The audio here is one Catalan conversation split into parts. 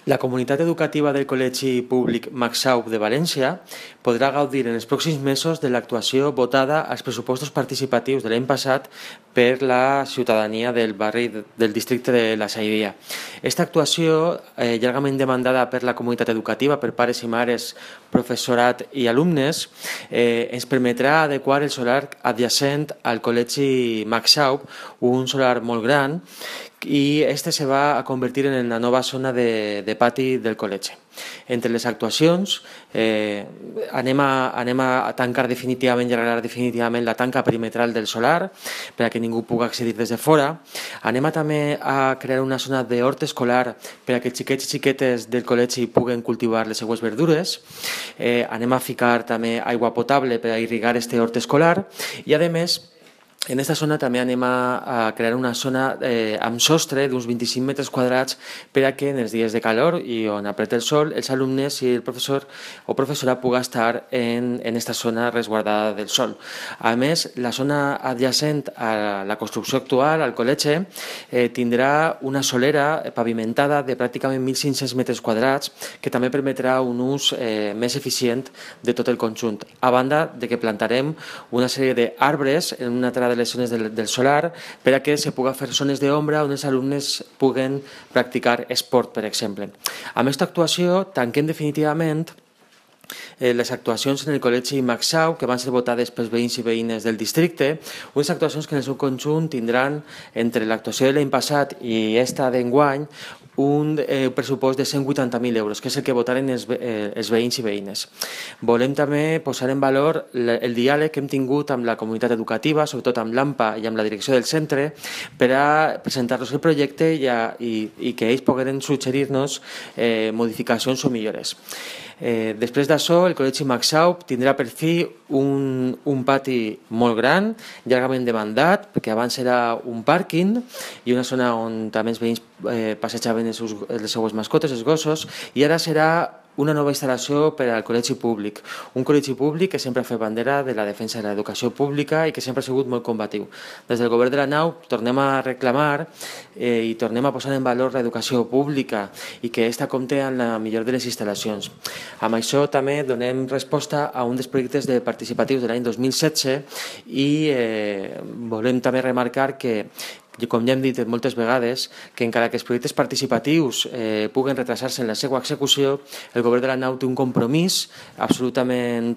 La comunitat educativa del Col·legi Públic Maxaup de València podrà gaudir en els pròxims mesos de l'actuació votada als pressupostos participatius de l'any passat per la ciutadania del barri del districte de la Sairia. Aquesta actuació, llargament demandada per la comunitat educativa, per pares i mares, professorat i alumnes, ens permetrà adequar el solar adjacent al Col·legi Maxaup, un solar molt gran, i este se va a convertir en la nova zona de pati del col·legi. Entre les actuacions anem a tancar definitivament i arreglar definitivament la tanca perimetral del solar perquè ningú pugui accedir des de fora. Anem també a crear una zona d'hort escolar perquè xiquets i xiquetes del col·legi puguen cultivar les seues verdures. Anem a ficar també aigua potable per a irrigar este hort escolar i a més en aquesta zona també anem a crear una zona amb sostre d'uns 25 metres quadrats per a que en els dies de calor i on apreta el sol els alumnes i el professor o professora pugui estar en aquesta zona resguardada del sol. A més, la zona adjacent a la construcció actual, al col·legi, tindrà una solera pavimentada de pràcticament 1.500 metres quadrats que també permetrà un ús més eficient de tot el conjunt. A banda de que plantarem una sèrie d'arbres en una altra de les zones del solar per a que se pugui fer zones d'ombra on els alumnes puguen practicar esport, per exemple. Amb aquesta actuació tanquem definitivament les actuacions en el Col·legi Maxaup que van ser votades pels veïns i veïnes del districte, unes actuacions que en el seu conjunt tindran entre l'actuació de l'any passat i esta d'enguany un pressupost de 180.000 euros, que és el que votaren els veïns i veïnes. Volem també posar en valor el diàleg que hem tingut amb la comunitat educativa, sobretot amb l'AMPA i amb la direcció del centre, per a presentar-los el projecte i que ells pogueren suggerir-nos modificacions o millores. Després d'això, el Col·legi Maxaup tindrà per fi un pati molt gran, llargament demandat, perquè abans era un pàrquing i una zona on també els veïns passejaven les seues mascotes, els gossos, i ara serà una nova instal·lació per al col·legi públic. Un col·legi públic que sempre ha fet bandera de la defensa de l'educació pública i que sempre ha sigut molt combatiu. Des del govern de la nau tornem a reclamar i tornem a posar en valor l'educació pública i que aquesta compte amb la millor de les instal·lacions. Amb això també donem resposta a un dels projectes participatius de l'any 2016 i volem també remarcar que com ja hem dit moltes vegades, que encara que els projectes participatius puguen retrasar-se en la seva execució, el govern de la nau té un compromís absolutament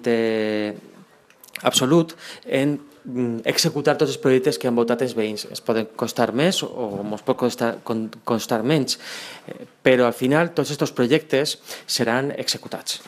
absolut en executar tots els projectes que han votat els veïns. Es poden costar més o ens pot costar menys, però al final tots aquests projectes seran executats.